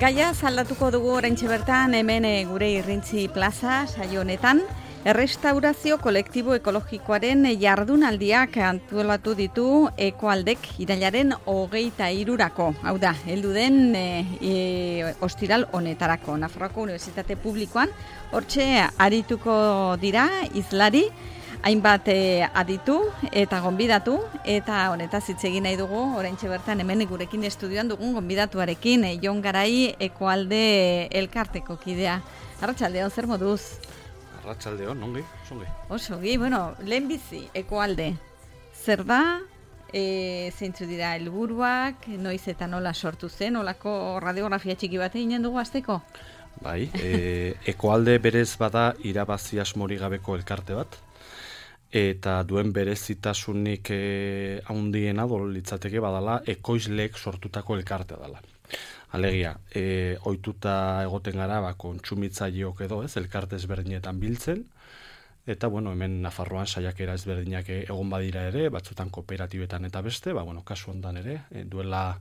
Gaia aldatuko dugu oraintxe bertan hemen gure Irrintzi plaza saio honetan. Errestaurazio kolektibo ekologikoaren jardunaldiak antolatu ditu Ekoaldek irailaren 23rako. Hau da, heldu den ostiral honetarako. Nafarroako Unibertsitate Publikoan hortxe arituko dira hizlari, hainbat aditu eta gonbidatu, eta honetaz hitz egin nahi dugu oraintxe bertan hemen gurekin estudioan dugun gonbidatuarekin, Jon Garai Ekoalde elkarteko kidea. Arratsaldeon, zer moduz? Arratsaldeon, ongi, ongi. Oso, bueno, lehenbizi Ekoalde. Zer da? Zeintzu dira helburuak, noiz eta nola sortu zen, nolako radiografia txiki bat eginen dugu hasteko? Bai, Ekoalde berez bada irabazi asmori gabeko elkarte bat, eta duen berezitasunik handiena litzateke badala ekoizleek sortutako elkartea dela. Alegia, ohituta egoten gara kontsumitzaileok edo elkarte ezberdinetan biltzen, eta hemen Nafarroan saiakera ezberdinak egon badira ere, batzutan kooperatibetan eta beste, kasu hontan ere, duela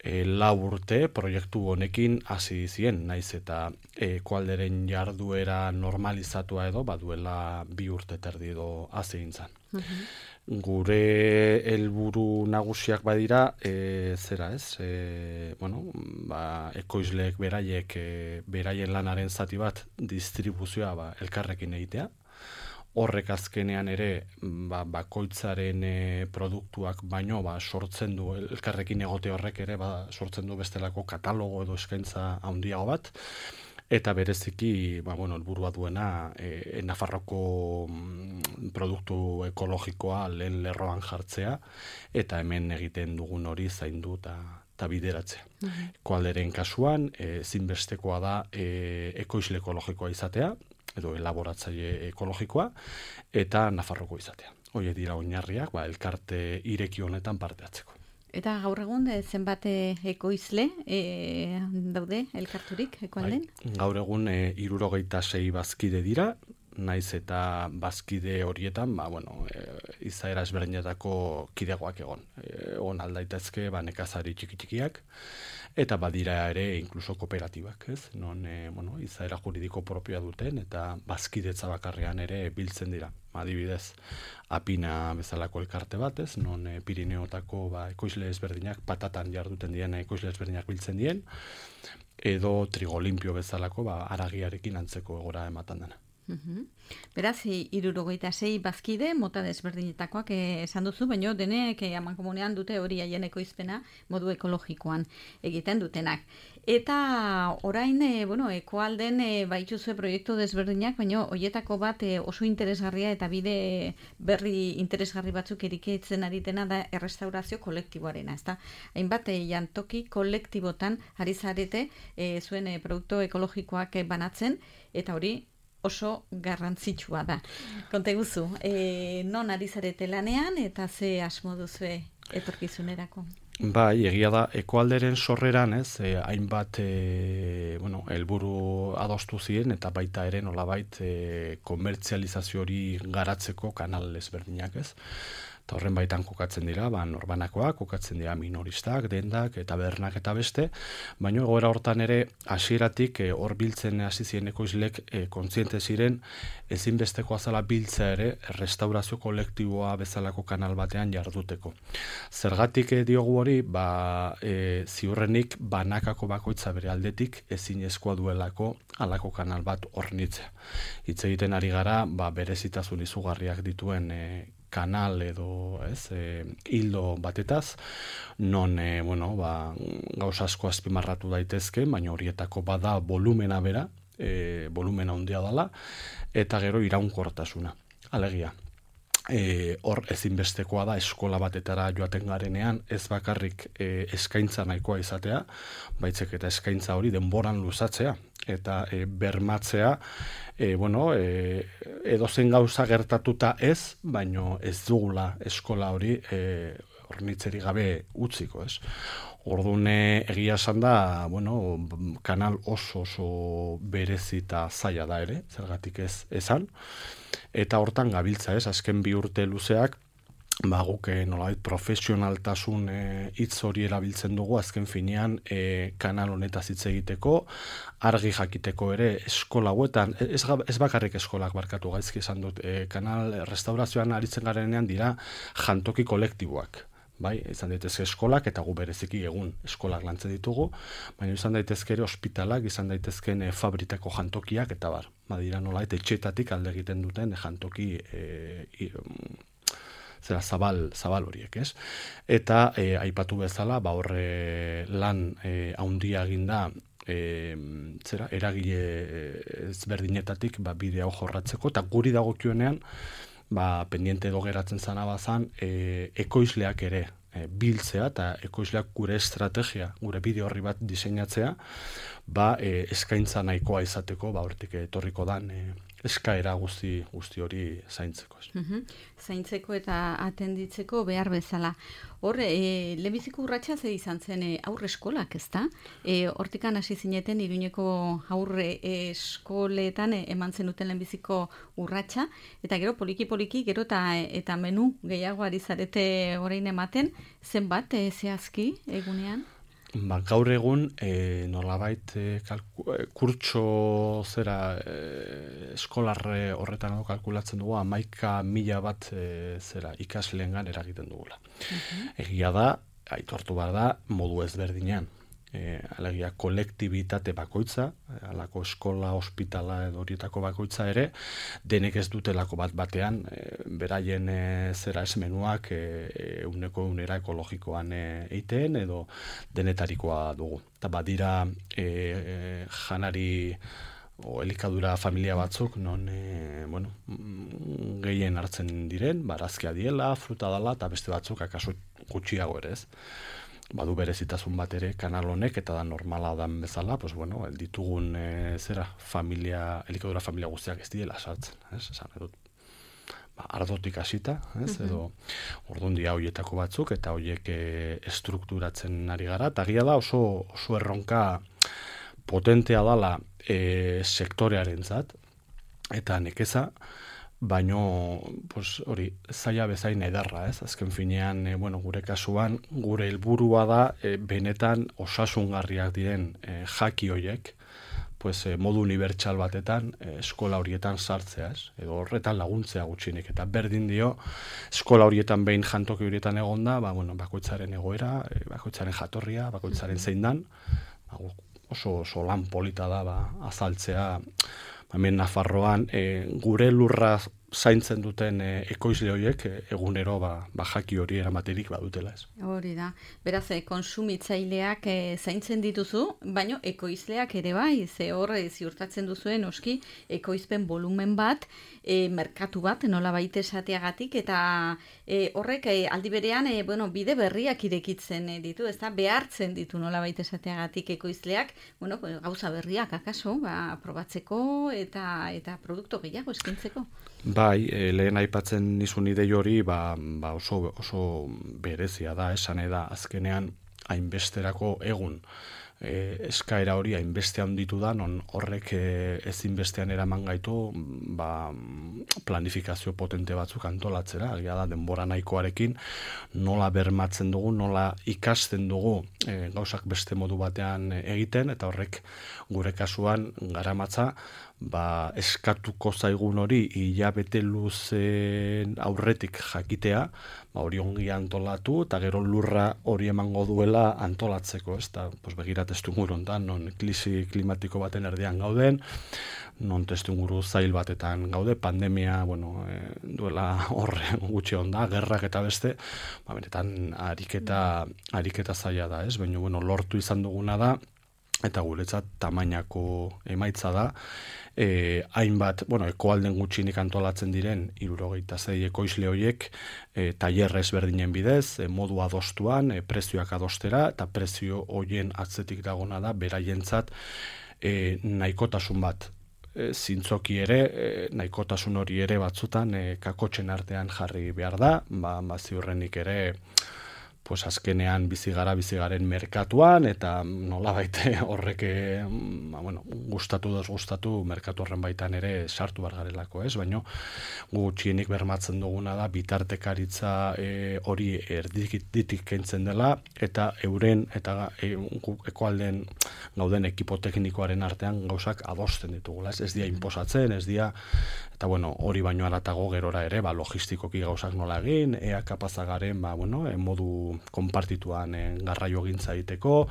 4 urte proiektu honekin hasi zien, naiz eta Ekoalderen jarduera normalizatua edo, duela 2 urte terdi edo hasi gintzan. Gure helburu nagusiak badira, ekoizleek beraien lanaren zati bat distribuzioa elkarrekin egitea. Horrek azkenean ere bakoitzaren produktuak baino sortzen du, elkarrekin egote horrek ere sortzen du bestelako katalogo edo eskaintza handiago bat, eta bereziki helburua duena Nafarroko produktu ekologikoa lehen lerroan jartzea, eta hemen egiten dugun hori zaindu eta bideratzea. Ekoalderen kasuan, ezinbestekoa da ekoizle ekologikoa izatea, edo elaboratzaile ekologikoa, eta Nafarroko izatea. Horiek dira oinarriak, elkarte ireki honetan parte hartzeko. Eta gaur egun zenbat ekoizle daude elkarturik Ekoalden? Gaur egun 76 bazkide dira, naiz eta bazkide horietan, izaera ezberdinetako kidegoak egon aldaitezke nekazari txiki-txikiak, eta badira ere inkluso kooperatibak, non izaera juridiko propioa duten eta bazkidetza bakarrean ere biltzen dira. Adibidez, Apina bezalako elkarte bat, non Pirineotako ekoizle ezberdinak, patatan jarduten dien ekoizle ezberdinak biltzen dien, edo Trigolimpio bezalako haragiarekin antzeko egora ematen dena. Beraz, 76 bazkide, mota desberdinetakoak esan duzu, baina denek amankomunean dute hori haien ekoizpena modu ekologikoan egiten dutenak. Eta orain, Ekoalden baituzue proiektu desberdinak, baina horietako bat oso interesgarria eta bide berri interesgarri batzuk eriketzen ari dena da errestaurazio kolektiboarena, ezta? Hainbat jantoki kolektibotan ari zarete zuen produktu ekologikoak banatzen, eta hori oso garrantzitsua da. Konta guzu, non ari zarete lanean eta ze asmo duzue etorkizunerako? Bai, egia da, Ekoalderen sorreran, hainbat helburu adostu ziren, eta baita ere nolabait komertzializazio hori garatzeko kanal ezberdinak, Eta horren baitan kokatzen dira, norbanakoak, kokatzen dira minoristak, dendak, eta bernak eta beste, baina egoera hortan ere hasieratik hor biltzen hasi ziren ekoizlek kontziente ziren ezinbestekoa zela biltzea ere restaurazio kolektiboa bezalako kanal batean jarduteko. Zergatik diogu hori, ziurrenik banakako bakoitza bere aldetik ezinezkoa duelako halako kanal bat hornitzea. Hitz egiten ari gara, berezitasun izugarriak dituen kanal edo hildo batetaz, non gauza asko azpimarratu daitezke, baina horietako bada volumena bera, volumena handia dela, eta gero iraunkortasuna. Alegia, hor ezinbestekoa da eskola batetara joaten garenean, ez bakarrik eskaintza nahikoa izatea, baitzek eta eskaintza hori denboran luzatzea, eta bermatzea, edozein gauza gertatuta ez, baino ez dugula eskola hori hornitzeri gabe utziko, Orduan egia esan da, kanal oso berezita zaila da ere, zergatik ez esan, eta hortan gabiltza azken 2 urte luzeak guk nolabait profesionaltasun hitz hori erabiltzen dugu azken finean kanal honetaz hitz egiteko, argi jakiteko ere eskola hauetan, ez bakarrik eskolak barkatu gaizki esan dut, kanal restaurazioan aritzen garenean dira jantoki kolektiboak. Bai, izan daitezke eskolak eta gu bereziki egun eskolak lantzen ditugu, baina izan daitezke ere ospitalak, izan daitezken fabritako jantokiak eta bar. Badira nolabait etxeetatik alde egiten duten jantoki zabal horiek, ez? Eta aipatu bezala, horre lan haundia eginda eragile ezberdinetatik bide hau jorratzeko, eta guri dagokionean pendiente edo geratzen zana bazan, ekoizleak ere biltzea eta ekoizleak gure estrategia, gure bide horri bat diseinatzea, eskaintza nahikoa izateko, hortik etorriko dan eskaera guzti hori zaintzeko. Zaintzeko eta atenditzeko behar bezala. Hor, lehenbiziko urratsa ze izan zen aurre eskolak, ezta? Hortikan hasi zineten Iruñeko aurre eskoletan eman zenuten lehenbiziko urratsa, eta gero poliki gero eta menu gehiago ari zarete orain ematen, zenbat zehazki egunean? Gaur egun nolabait kurtso eskolarre horretan kalkulatzen dugu 11.000 bat ikasleengan eragiten dugula. Egia da, aitortu behar da, modu ezberdinean. Alegia kolektibitate bakoitza, alako eskola, ospitala edo horietako bakoitza ere, denek ez dutelako batean, beraien menuak euneko eunera ekologikoan eiteen edo denetarikoa dugu. Eta badira janari elikadura familia batzuk, non gehien hartzen diren, barazkia diela, fruta dela, eta beste batzuk akaso gutxiago ere ez. Badu berezitasun bat ere kanal honek eta da normala dan bezala, ditugun elikadura familia guztiak ez diela sartzen, esan edut. Ardotik hasita, edo orduan dia horietako batzuk eta horiek estrukturatzen ari gara, eta gira da oso erronka potentea dala sektorearentzat eta nekeza, baino hori zaila bezain ederra, ez? Azken finean, gure kasuan, gure helburua da benetan osasungarriak diren jaki horiek, modu unibertsal batetan eskola horietan sartzea, ez? Edo horretan laguntzea gutxinik, eta berdin dio eskola horietan behin jantoki horietan egonda, bakoitzaren egoera, bakoitzaren jatorria, bakoitzaren zein dan, oso lan polita da azaltzea, hemen Nafarroan gure lurra zaintzen duten ekoizle horiek egunero jaki hori eramaterik badutela ez. Hori da. Beraz, konsumitzaileak zaintzen dituzu, baino ekoizleak ere bai, ze hor ziurtatzen duzuen oski ekoizpen volumen bat, merkatu bat nola baita esateagatik, eta horrek aldi berean bide berriak irekitzen ditu, ez da, behartzen ditu nola baita esateagatik ekoizleak, gauza berriak akaso, probatzeko eta produktu gehiago eskintzeko. Bai, lehen aipatzen nizun idei hori oso berezia da, esan da azkenean hainbesterako egun eskaera hori hainbeste handitu da, non horrek ezinbestean eraman gaitu planifikazio potente batzuk antolatzera, agia da denbora nahikoarekin nola bermatzen dugu, nola ikasten dugu gauzak beste modu batean egiten, eta horrek gure kasuan garamatza eskatuko zaigun hori hilabete luzen aurretik jakitea, hori ongi antolatu, eta gero lurra hori emango duela antolatzeko, ez da, begirat testuinguru hontan, non krisi klimatiko baten erdian gauden, non testuinguru zail batetan gaude, pandemia, duela horre gutxi onda, gerrak eta beste, benetan ariketa zaila da, ez? Baina, lortu izan duguna da, eta guretzat tamainako emaitza da, hainbat, ekoalden gutxinik antolatzen diren 76 ekoizle horiek tailer ezberdinen bidez, modu adostuan, prezioak adostera, eta prezio horien atzetik dagona da, beraientzat nahikotasun bat. Zintzoki ere, nahikotasun hori ere batzutan kakotxen artean jarri behar da, ziurrenik ere pues azkenean bizigaren merkatuan, eta nolabait horrek gustatu merkatu horren baitan ere sartu bar garelako, ez? Baina gutxienik bermatzen duguna da bitartekaritza hori erditik kentzen dela, eta euren eta ekoalden gauden ekipo teknikoaren artean gauzak adosten ditugula, ez dira inposatzen, ez dira, eta hori baino aratago gerora ere, logistikoki gauzak nola egin, ea kapazagaren, modu konpartituan garraio gintza egiteko,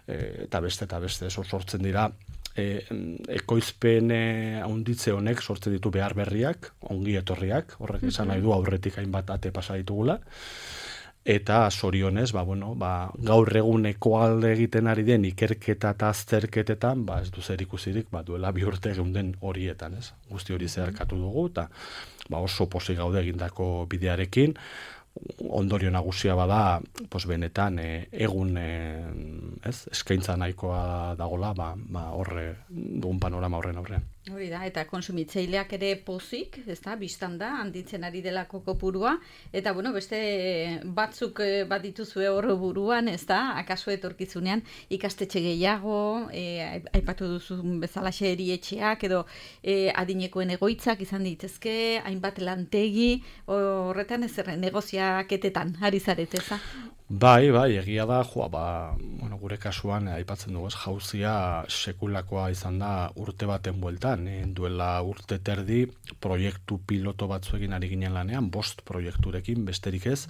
eta beste, sortzen dira, ekoizpen handitze honek sortzen ditu behar berriak, ongi etorriak, horrek esan nahi du aurretik hainbat ate pasa ditugula, eta zorionez, gaur egun ekoalde egiten ari den ikerketa eta azterketetan, ez du zer ikusirik, duela 2 urte geunden horietan, ez? Guzti hori zeharkatu dugu, eta oso pozik gaude egindako bidearekin, ondorio nagusia bada, benetan egun eskaintza nahikoa dagola, horre dugun panorama horren aurrean. Hori da, eta konsumitzaileak ere pozik, biztan da, handitzen ari delako kopurua, eta beste batzuk bat dituzue hor buruan, akaso etorkizunean ikastetxe gehiago, aipatu duzun bezalaxe erietxeak, edo adinekoen egoitzak izan ditezke, hainbat lantegi, horretan negoziaketetan, ari zareteza? Bai, egia da, gure kasuan aipatzen dugu, jauzia sekulakoa izan da urte baten bueltan, duela urte terdi proiektu piloto batzuekin ari ginen lanean, 5 proiekturekin besterik ez,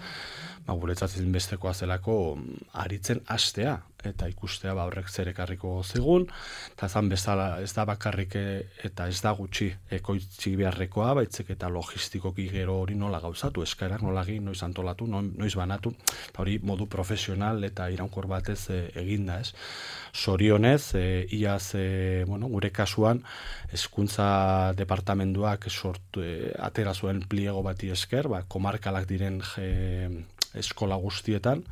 guretzat bestekoa zelako aritzen hastea, eta ikustea horrek zer ekarriko zigun, eta zan bezala ez da bakarrik eta ez da gutxi ekoitzi beharrekoa, baitzek eta logistikoki gero hori nola gauzatu, eskaerak nola egin, noiz antolatu, noiz banatu, eta hori modu profesional eta iraunkor batez eginda, ez? Zorionez, iaz, gure kasuan, hezkuntza departamenduak atera zuen pliego bati esker, komarkalak diren eskola guztietan,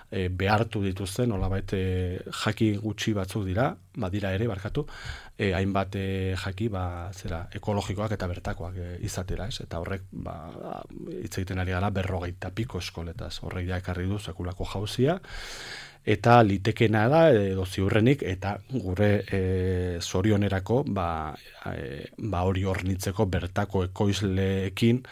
behartu dituzten, nolabait jaki gutxi batzuk dira ere, hainbat jaki ekologikoak eta bertakoak izatera, ez? Eta horrek hitz egiten ari gara 50 piko eskoletaz, horrek ja ekarri du sekulako jauzia, eta litekena da, edo ziurrenik, eta gure zorionerako hori hornitzeko bertako ekoizleekin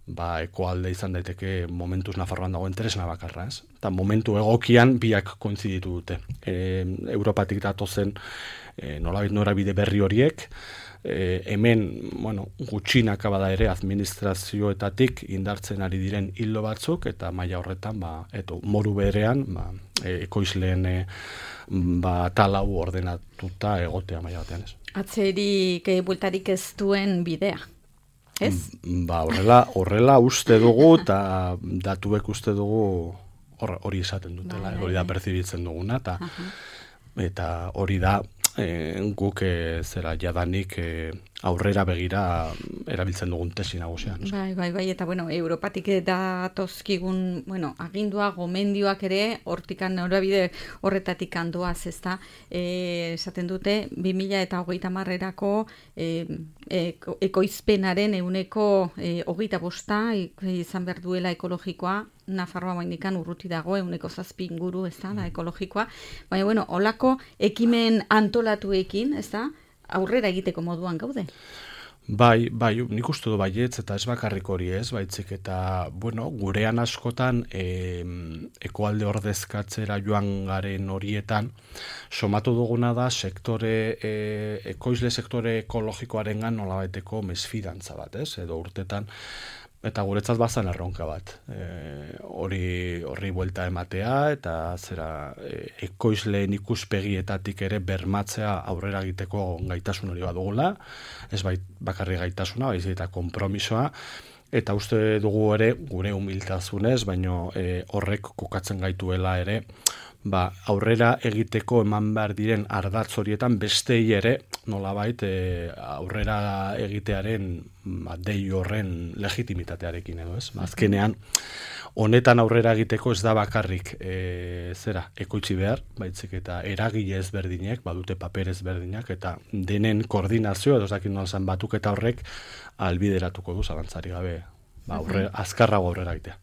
ekoalde izan daiteke momentuz Nafarroan dagoen tresna bakarra, ez? Eta momentu egokian biak kointziditu dute. Europatik datozen nolabait norabide berri horiek, hemen, gutxinaka bada ere administrazioetatik indartzen ari diren hildo batzuk, eta maila horretan, moru berean, ekoizleen talau ordenatuta egotea maila batean, ez? Atzerik bueltarik ez duen bidea, ez? Horrela uste dugu, eta datuek uste dugu hori esaten dutela, hori da perzibitzen duguna, eta hori da guk jadanik aurrera begira erabiltzen dugun tesi nagusian. Bai, eta Europatik datozkigun, agindua, gomendioak ere, hortikan norabide horretatik handoaz, ezta, esaten dute, 2030erako ekoizpenaren 25% izan behar duela ekologikoa, Nafarroa bainikan urruti dago, 7 inguru, ez da, ekologikoa, baina, holako ekimen antolatuekin, ez da, aurrera egiteko moduan gaude. Bai, nik uste du baietz, eta ez bakarrik hori ez, baitzik eta, gurean askotan ekoalde ordezkatzera joan garen horietan, somatu duguna da ekoizle sektore ekologikoarengan nolabaiteko mesfidantza bat, ez? Edo urtetan, eta guretzat bazan erronka bat. Horri buelta ematea, eta ekoizleen ikuspegietatik ere bermatzea aurrera egiteko gaitasun hori badugula, ez bakarri gaitasuna, baizik eta konpromisoa, eta uste dugu ere, gure humiltasunez, baino horrek kokatzen gaituela ere, aurrera egiteko eman behar diren ardatz horietan bestei ere nolabait aurrera egitearen dei horren legitimitatearekin edo, ez? Azkenean, honetan aurrera egiteko ez da bakarrik ekoitzi behar, baitzik eta eragile ezberdinek, badute paper ezberdinak, eta denen koordinazio, edo zakin nolazan batuk eta horrek albideratuko du zalantzari gabe, azkarrago aurrera egitea.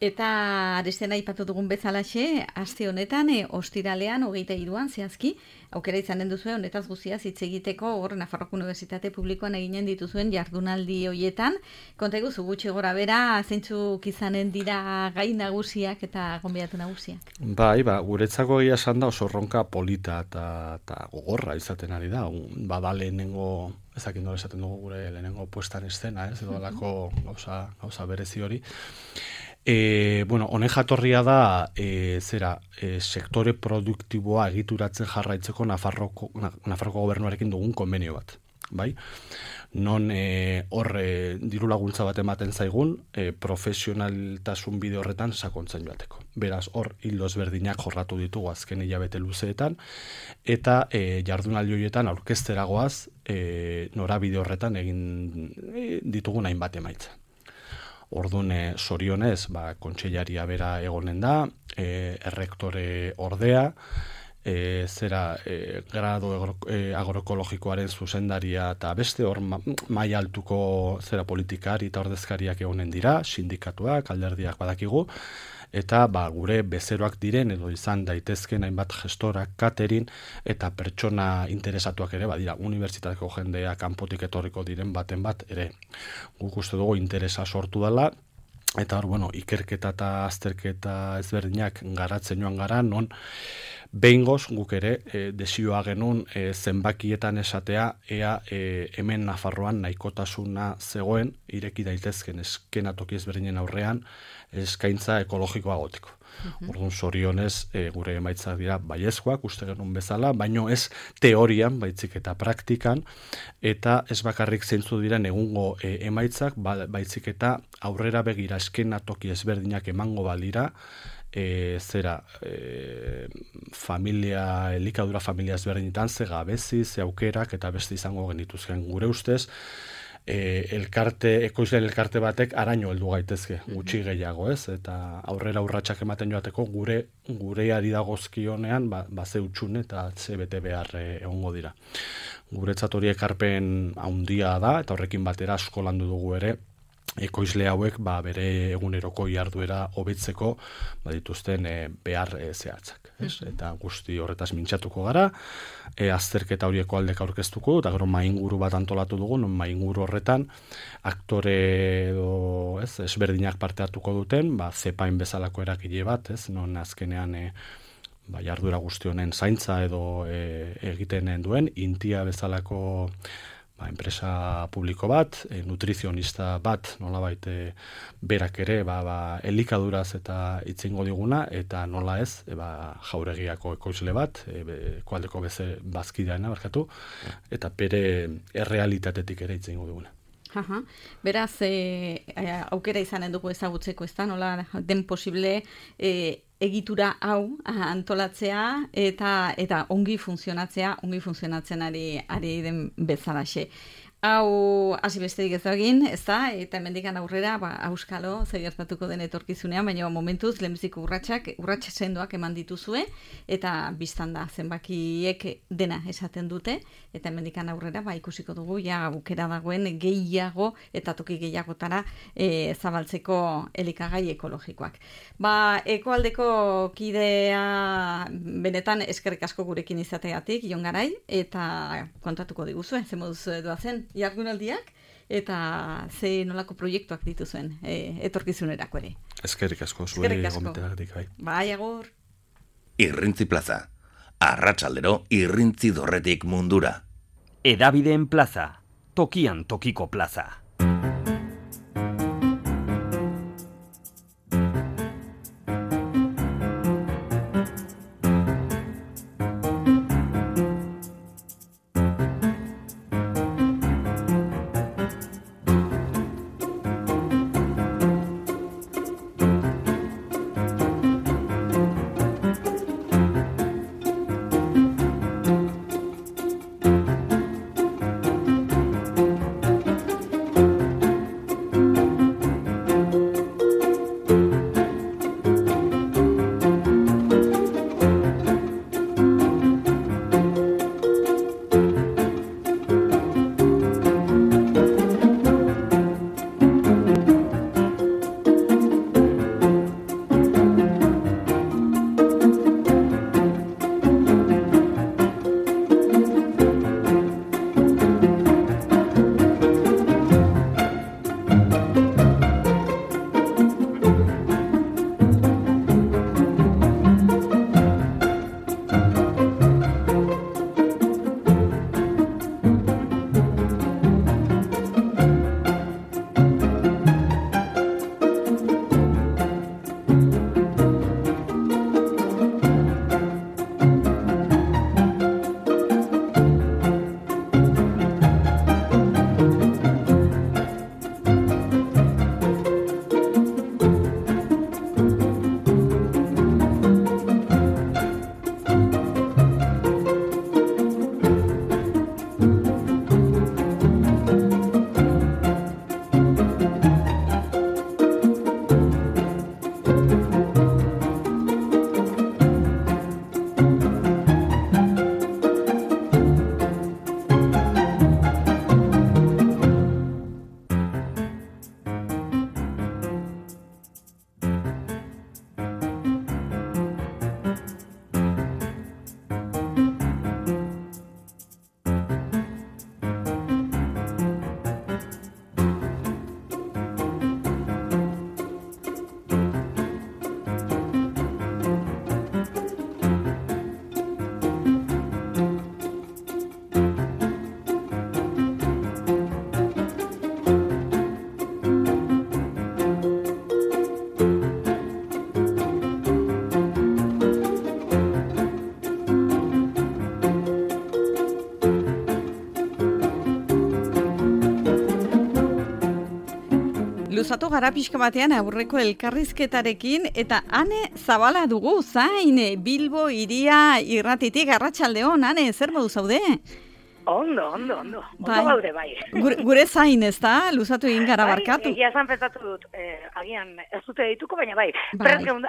Eta arestena aipatu dugun bezalaxe, aste honetan, ostiralean, 23an zehazki, aukera izanen duzue, honetaz guztiaz hitz egiteko, hor Nafarroako Unibertsitate Publikoan eginen dituzuen jardunaldi hoietan. Konta iguzu gutxi gora bera, zeintzuk izanen dira gai nagusiak eta gonbidatu nagusiak? Bai, guretzako egia esan da oso erronka polita eta gogorra izaten ari da. Bada lehenengo, ezakin nola esaten dugu gure lehenengo puestan eszena, edo alako gauza berezi hori. Honen jatorria da sektore produktiboa egituratzen jarraitzeko Nafarroko gobernuarekin dugun konbenio bat, bai? Non diru laguntza bat ematen zaigun profesionaltasun bide horretan sakontzen joateko. Beraz, hor hildo ezberdinak jorratu ditugu azken hilabete luzeetan, eta jardunaldi horietan aurkezteragoaz norabide horretan egin ditugun hainbat emaitza. Orduan, zorionez, kontseilaria bera egonen da, errektore ordea, grado agroekologikoaren zuzendaria eta beste hor maila altuko politikari eta ordezkariak egonen dira, sindikatuak, alderdiak badakigu, eta gure bezeroak diren edo izan daitezken hainbat gestorak, catering eta pertsona interesatuak ere badira, unibertsitateko jendea kanpotik etorriko diren baten bat ere. Guk uste dugu interesa sortu dela, eta hor, ikerketa eta azterketa ezberdinak garatzen joan gara, non behingoz guk ere desioa genuen zenbakietan esatea ea hemen Nafarroan nahikotasuna zegoen ireki daitezken eskenatoki ezberdinen aurrean eskaintza ekologikoa goteko. Orduan, zorionez gure emaitzak dira baiezkoak, uste genuen bezala, baino ez teorian, baitzik eta praktikan, eta ez bakarrik zeintzu diren egungo emaitzak, baitzik eta aurrera begira eskenatoki ezberdinak emango balira, elikadura familia ezberdinetan, ze gabezi, ze aukerak eta beste izango genituzken. Gure ustez, ekoizleen elkarte batek araño heldu gaitezke, gutxi gehiago, ez? Eta aurrera urratsak ematen joateko gureari dagozkionean ze utxune eta ze bete behar egongo dira. Guretzat hori ekarpen handia da, eta horrekin batera asko landu dugu ere, ekoizle hauek bere eguneroko jarduera hobetzeko dituzten behar zehatzak. Eta guzti horretaz mintzatuko gara, azterketa horieko aldeka aurkeztuko, eta gero mainguru bat antolatu dugu, non mainguru horretan aktore edo ezberdinak parte hartuko duten, zepain bezalako erakile bat, non azkenean jarduera guzti honen zaintza edo egiten duen, Intia bezalako enpresa publiko bat, nutrizionista bat, nolabait berak ere elikaduraz eta itzingo diguna, eta nola ez, jauregiako ekoizle bat, ekualdeko bazkideana barkatu, eta bere errealitatetik ere itzingo diguna. Beraz, aukera izanen dugu ezagutzeko, ez da, nola den posible egitura hau antolatzea eta ongi funtzionatzen ari den bezalaxe. Hau hasi besterik ez da egin, ez da, eta hemendikan aurrera, auskalo, zer gertatuko den etorkizunean, baina momentuz, lehenbiziko urrats sendoak eman dituzue, eta biztan da, zenbakiek dena esaten dute, eta hemendikan aurrera, ikusiko dugu, aukera dagoen gehiago, eta toki gehiagotara zabaltzeko elikagai ekologikoak. Ekoaldeko kidea benetan eskerrik asko gurekin izategatik, Jon Garai, eta kontatuko diguzue, ze moduz doazen jardunaldiak, eta ze nolako proiektuak dituzuen etorkizunerako ere. Eskerrik asko, zuei gomenteagatik, bai. Bai, agur. Irrintzi plaza. Arratsaldero irrintzi dorretik mundura. Hedabideen plaza. Tokian tokiko plaza. luzatu gara pixka batean aurreko elkarrizketarekin, eta Ane Zabala dugu, zain, Bilbo iria irratitik, arratsaldeon, Ane, zer modu zaude? Ondo. Ondo gaude bai. Gure zain, ez da? Luzatu egin gara barkatu. Egia esan pentsatu dut, agian ez dute dituko, baina bai. Prest gaude